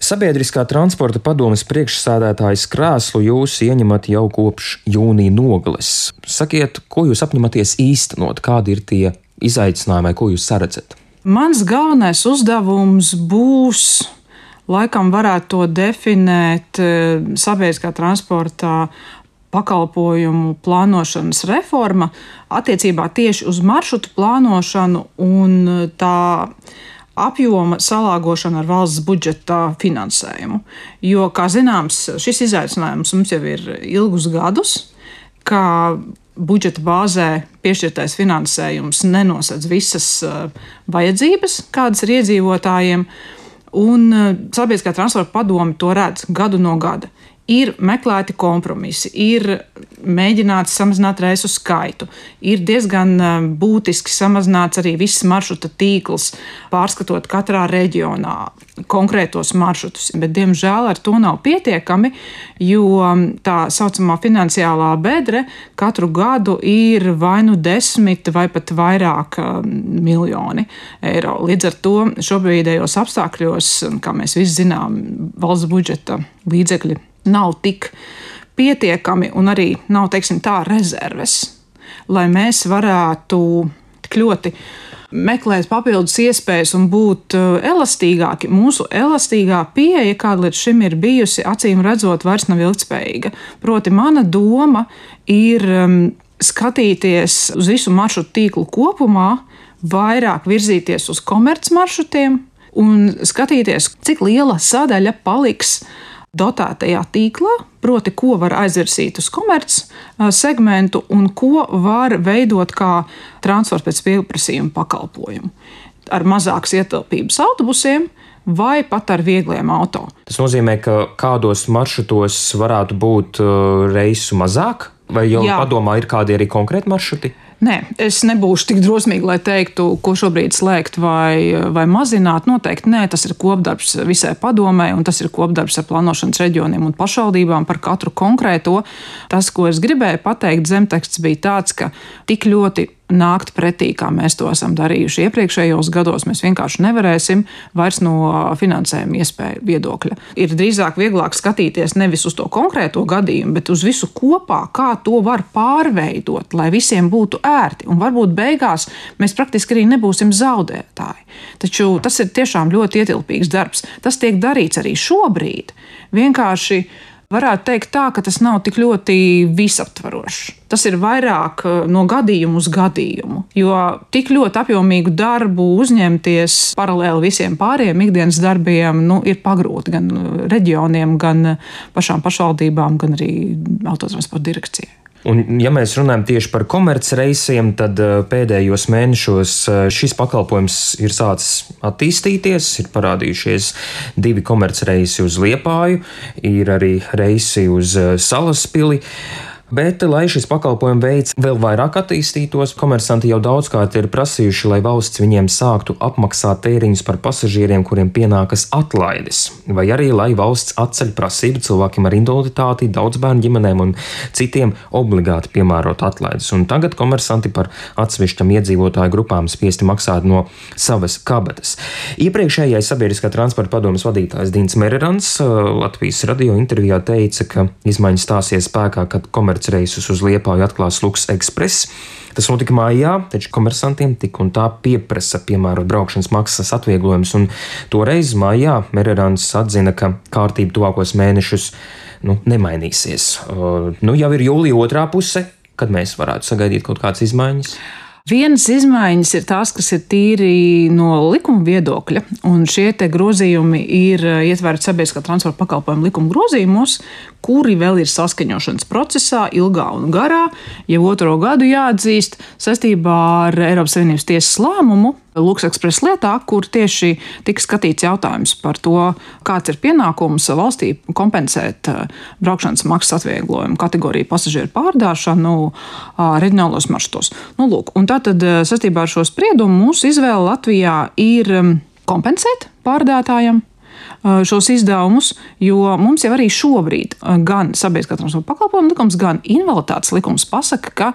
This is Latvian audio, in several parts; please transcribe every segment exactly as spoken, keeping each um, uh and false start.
Sabiedriskā transporta padomes priekšsēdētājas krēslu jūs ieņemat jau kopš jūnija nogales. Sakiet, ko jūs apņematies īstenot, kādi ir tie izaicinājumi, ko jūs saredzat? Mans galvenais uzdevums būs, laikam varētu to definēt, sabiedriskā transportā pakalpojumu plānošanas reforma attiecībā tieši uz maršrutu plānošanu un tā apjoma salāgošana ar valsts budžeta finansējumu. Jo, kā zināms, šis izaicinājums mums jau ir ilgus gadus, kā budžeta bāzē piešķirtais finansējums nenosedz visas vajadzības, kādas ir iedzīvotājiem, un sabiedriskā transporta padome to redz gadu no gada. Ir meklēti kompromisi, ir mēģināts samazināt reisu skaitu, ir diezgan būtiski samazināts arī viss maršruta tīkls, pārskatot katrā reģionā konkrētos maršrutus. Bet, diemžēl, ar to nav pietiekami, jo tā saucamā finansiālā bedre katru gadu ir vai nu desmit vai pat vairāk miljoni eiro. Līdz ar to šobrīdējos apstākļos, kā mēs visi zinām, valsts budžeta līdzekļi nav tik pietiekami un arī nav, teiksim tā, rezerves, lai mēs varētu tik ļoti meklēt papildus iespējas un būt elastīgāki. Mūsu elastīgā pieeja, kāda līdz šim ir bijusi, acīm redzot, vairs nav ilgtspējīga. Proti, mana doma ir skatīties uz visu maršrutu tīklu kopumā, vairāk virzīties uz komercmaršrutiem un skatīties, cik liela sadaļa paliks dotētajā tīklā, proti, ko var aizvirzīt uz komerc segmentu un ko var veidot kā transports pēc pieprasījuma pakalpojumu. Ar mazākas ietilpības autobusiem vai pat ar viegliem auto. Tas nozīmē, ka kādos maršrutos varētu būt reisu mazāk? Vai jau Jā. Padomā ir kādi arī konkrēti maršruti? Nē, es nebūšu tik drosmīgi, lai teiktu, ko šobrīd slēgt vai, vai mazināt. Noteikti nē, tas ir kopdarbs visai padomei, un tas ir kopdarbs ar plānošanas reģioniem un pašvaldībām par katru konkrēto. Tas, ko es gribēju pateikt, zemteksts bija tāds, ka tik ļoti nākt pretī, kā mēs to esam darījuši iepriekšējos gados, mēs vienkārši nevarēsim vairs no finansējuma iespēju viedokļa. Ir drīzāk vieglāk skatīties nevis uz to konkrēto gadījumu, bet uz visu kopā, kā to var pārveidot, lai visiem būtu ērti. Un varbūt beigās mēs praktiski arī nebūsim zaudētāji. Taču tas ir tiešām ļoti ietilpīgs darbs. Tas tiek darīts arī šobrīd. Vienkārši varētu teikt tā, ka tas nav tik ļoti visaptvarošs. Tas ir vairāk no gadījumu uz gadījumu, jo tik ļoti apjomīgu darbu uzņemties paralēli visiem pārējiem ikdienas darbiem, nu, ir pagrūti gan reģioniem, gan pašām pašvaldībām, gan arī autotransporta direkcijai. Un, ja mēs runājam tieši par komercreisiem, tad pēdējos mēnešos šis pakalpojums ir sācis attīstīties, ir parādījušies divi komercreisi uz Liepāju, ir arī reisi uz Salaspili. Bet, lai šis pakalpojuma veids vēl vairāk attīstītos, komersanti jau daudzkārt ir prasījuši, lai valsts viņiem sāktu apmaksāt tēriņus par pasažieriem, kuriem pienākas atlaides, vai arī, lai valsts atceļ prasību cilvēkiem ar invaliditāti, daudzbērnu ģimenēm un citiem obligāti piemērot atlaides. Un tagad komersanti par atsevišķam iedzīvotāju grupām spiesti maksāt no savas kabatas. Iepriekšējais sabiedriskā transporta padomes vadītājs Dīns Mererans Latvijas radio intervijā teica, ka izmaiņas stāsies spēkā, kad komersanti reisus uz Liepāju atklās Lux Express. Tas notika mājā, taču komersantiem tik un tā pieprasa piemērot braukšanas maksas atvieglojumus, un toreiz mājā Mererans atzina, ka kārtība tuvākos mēnešus nu, nemainīsies. Uh, nu, jau ir jūlija otrā puse, kad mēs varētu sagaidīt kaut kādas izmaiņas. Vienas izmaiņas ir tās, kas ir tīri no likuma viedokļa, un šie te grozījumi ir ietverti sabiedriskā transporta pakalpojumu likuma grozījumos, kuri vēl ir saskaņošanas procesā, ilgā un garā, jau otro gadu jāatzīst, saistībā ar Eiropas Savienības tiesas lēmumu Lux Express lietā, kur tieši tika skatīts jautājums par to, kāds ir pienākums valstī kompensēt braukšanas maksas atvieglojumu kategoriju pasažieru pārdāšanu reģionālos maršrutos. Nu, lūk, un tātad saistībā ar šo spriedumu mūsu izvēle Latvijā ir kompensēt pārdātājam šos izdevumus, jo mums jau arī šobrīd gan sabiedriskā transporta pakalpojuma likums, gan invaliditātes likums pasaka, ka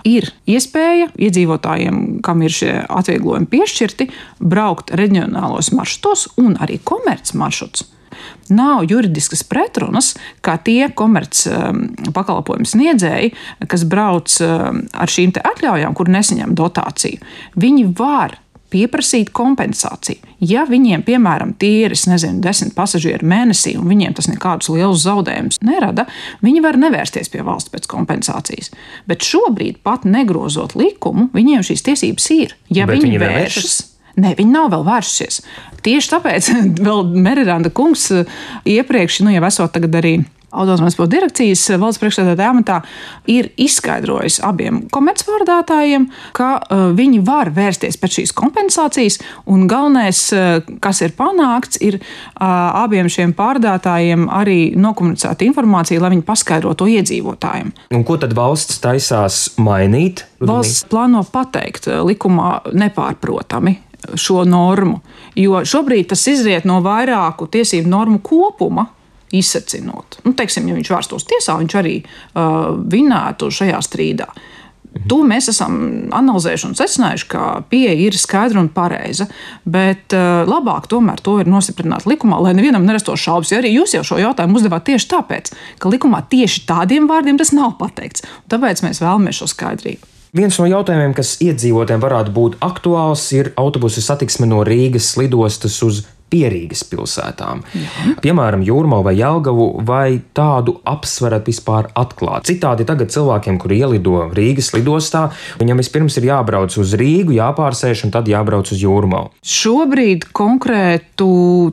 ir iespēja iedzīvotājiem, kam ir šie atvieglojumi piešķirti, braukt reģionālos maršrutos un arī komerc maršrutus. Nav juridiskas pretrunas, kā tie komerc pakalpojumu sniedzēji, kas brauc ar šīm te atļaujām, kur nesaņem dotāciju. Viņi var pieprasīt kompensāciju. Ja viņiem, piemēram, tie ir, es nezinu, desmit pasažieri mēnesī, un viņiem tas nekādus lielus zaudējumus nerada, viņi var nevērsties pie valsts pēc kompensācijas. Bet šobrīd, pat negrozot likumu, viņiem šīs tiesības ir. Ja Bet viņi, viņi vēršas, Nē, viņi nav vēl vērsušies. Tieši tāpēc vēl Meriranda kungs iepriekš, nu jau esot tagad arī Autotransporta direkcijas valsts priekšsēdētāja amatā, ir izskaidrojis abiem komercpārdātājiem, ka uh, viņi var vērsties pēc šīs kompensācijas, un galvenais, uh, kas ir panākts, ir uh, abiem šiem pārdātājiem arī nokomunicēta informācija, lai viņi paskaidro to iedzīvotājiem. Un ko tad valsts taisās mainīt? Valsts plāno pateikt likumā nepārprotami šo normu, jo šobrīd tas izriet no vairāku tiesību normu kopuma, izsacinot. Nu, teiksim, ja viņš vērstos tiesā, viņš arī uh, vinētu šajā strīdā. To mēs esam analizējuši un secinājuši, ka pieeja ir skaidra un pareiza, bet uh, labāk tomēr to ir nostiprināt likumā, lai nevienam nerastos šaubas. Jo arī jūs jau šo jautājumu uzdevāt tieši tāpēc, ka likumā tieši tādiem vārdiem tas nav pateikts. Tāpēc mēs vēlamies šo skaidrību. Viens no jautājumiem, kas iedzīvotājiem varētu būt aktuāls, ir autobusu satiksme no Rīgas lidostas uz Pierīgas pilsētām. Jā. Piemēram, Jūrmalu vai Jelgavu, vai tādu apsverat vispār atklāt. Citādi tagad cilvēkiem, kuri ielido Rīgas lidostā, viņam vispirms ir jābrauc uz Rīgu, jāpārsēž un tad jābrauc uz Jūrmalu. Šobrīd konkrētu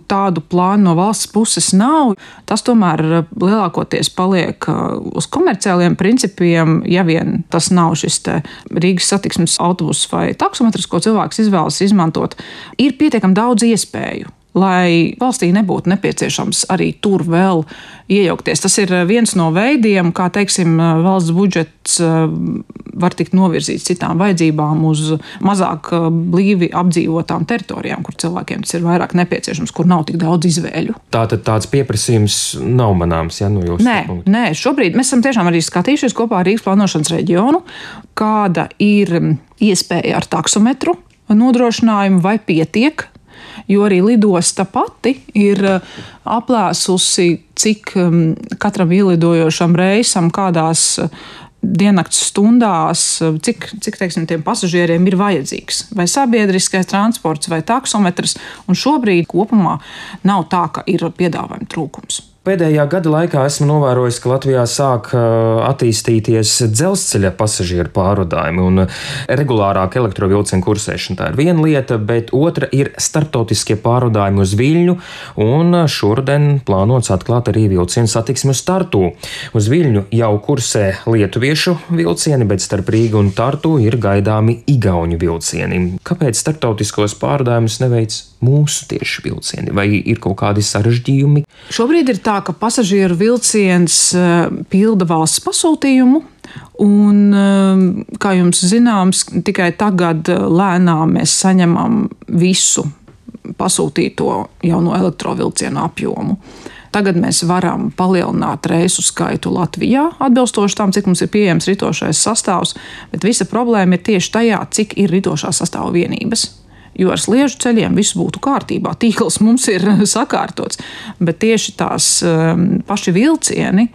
tādu plānu no valsts puses nav. Tas tomēr lielākoties paliek uz komerciāliem principiem, ja vien tas nav šis te Rīgas satiksmes autobus vai taksometrs, ko cilvēks izvēlas izmantot. Ir pietiekami daudz iespēju, lai valstī nebūtu nepieciešams arī tur vēl iejaukties. Tas ir viens no veidiem, kā, teiksim, valsts budžets var tikt novirzīts citām vajadzībām uz mazāk blīvi apdzīvotām teritorijām, kur cilvēkiem tas ir vairāk nepieciešams, kur nav tik daudz izvēļu. Tātad tāds pieprasījums nav manāms, ja, no jūsu nē, punktu? Nē, šobrīd mēs esam tiešām arī skatījušies kopā ar Rīgas plānošanas reģionu, kāda ir iespēja ar taksometru nodrošinājumu vai pietiek. Jo arī lidosta pati ir aplēsusi, cik katram ielidojošam reisam, kādās diennakts stundās, cik, cik teiksim, tiem pasažieriem ir vajadzīgs. Vai sabiedriskais transports, vai taksometrs. Un šobrīd kopumā nav tā, ka ir piedāvājuma trūkums. Pēdējā gada laikā esmu novērojis, ka Latvijā sāk attīstīties dzelzceļa pasažieru pārvadājumi un regulārāka elektrovilcienu kursēšana. Tā ir viena lieta, bet otra ir starptautiskie pārvadājumi uz Viļņu, un šodien plānots atklāt arī vilcienu satiksmi uz Tartu. Uz Viļņu jau kursē lietuviešu vilcieni, bet starp Rīgu un Tartu ir gaidāmi igauņu vilcieni. Kāpēc starptautiskos pārvadājumus neveic mūsu tieši vilcieni? Vai ir kaut kādi sarežģījumi? Šobrīd ir tā, ka pasažieru vilciens pilda valsts pasūtījumu, un, kā jums zināms, tikai tagad lēnām mēs saņemam visu pasūtīto jauno elektrovilcienu apjomu. Tagad mēs varam palielināt reisu skaitu Latvijā, atbilstoši tam, cik mums ir pieejams ritošais sastāvs, bet visa problēma ir tieši tajā, cik ir ritošā sastāva vienības. Jo ar sliežu ceļiem viss būtu kārtībā, tīkls mums ir sakārtots, bet tieši tās um, paši vilcieni,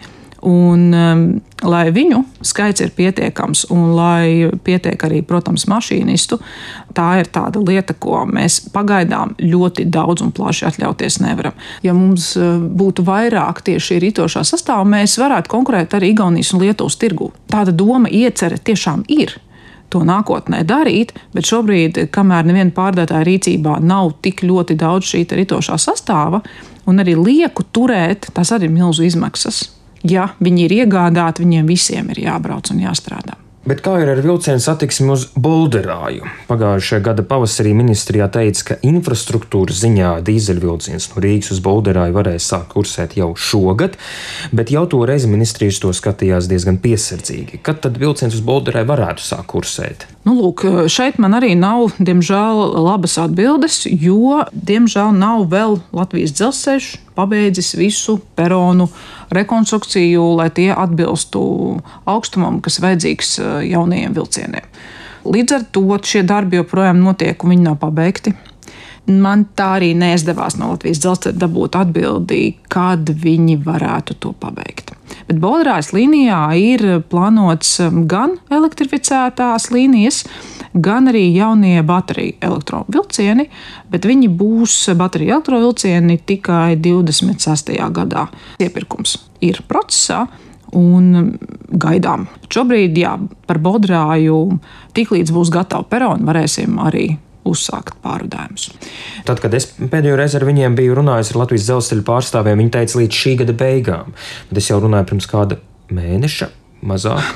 un um, lai viņu skaits ir pietiekams un lai pietiek arī, protams, mašīnistu, tā ir tāda lieta, ko mēs pagaidām ļoti daudz un plaši atļauties nevaram. Ja mums būtu vairāk tieši ritošā sastāva, mēs varētu konkurēt arī Igaunijas un Lietuvas tirgū. Tāda doma iecerē tiešām ir to nākotnē darīt, bet šobrīd, kamēr neviena pārdētāja rīcībā nav tik ļoti daudz šī ritošā sastāva, un arī lieku turēt, tas arī ir milzu izmaksas. Ja viņi ir iegādāti, viņiem visiem ir jābrauc un jāstrādā. Bet kā ir ar vilcienu satiksmi uz Bolderāju? Pagājušajā gada pavasarī ministrijā teica, ka infrastruktūras ziņā dīzeļvilciens no Rīgas uz Bolderāju varēs sākt kursēt jau šogad, bet jau toreiz ministrijas to skatījās diezgan piesardzīgi. Kad tad vilciens uz Bolderāju varētu sākt kursēt? Nu, lūk, šeit man arī nav, diemžēl, labas atbildes, jo, diemžēl, nav vēl Latvijas dzelzceļš pabeidzis visu peronu rekonstrukciju, lai tie atbilstu augstumam, kas vajadzīgs jaunajiem vilcieniem. Līdz ar to šie darbi joprojām notiek, un viņi nav pabeigti. Man tā arī neizdevās no Latvijas dzelzceļa dabūt atbildi, kad viņi varētu to pabeigt. Bet Boldrājas līnijā ir plānots gan elektrificētās līnijas, gan arī jaunie bateriju elektrovilcieni, bet viņi būs bateriju elektrovilcieni tikai divdesmit sestajā gadā. Iepirkums ir procesā un gaidām. Šobrīd, jā, par Boldrāju tiklīdz būs gatava perona, varēsim arī uzsākt pārvadājumus. Tad, kad es pēdējo reizi ar viņiem biju runājis ar Latvijas dzelzceļa pārstāvjiem, viņi teica līdz šī gada beigām. Bet es jau runāju pirms kāda mēneša, mazāk.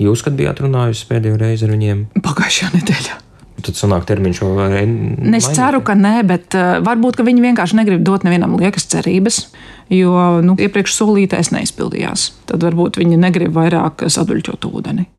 Jūs, kad bijāt runājusi pēdējo reizi ar viņiem? Pagājušajā nedēļā. Tad sanāk termiņš vēl mainīt? Es ceru, ka nē, bet uh, varbūt, ka viņi vienkārši negrib dot nevienam liekas cerības, jo nu, iepriekš solītais neizpildījās. Tad varbūt viņi negrib vairāk saduļķot ūdeni.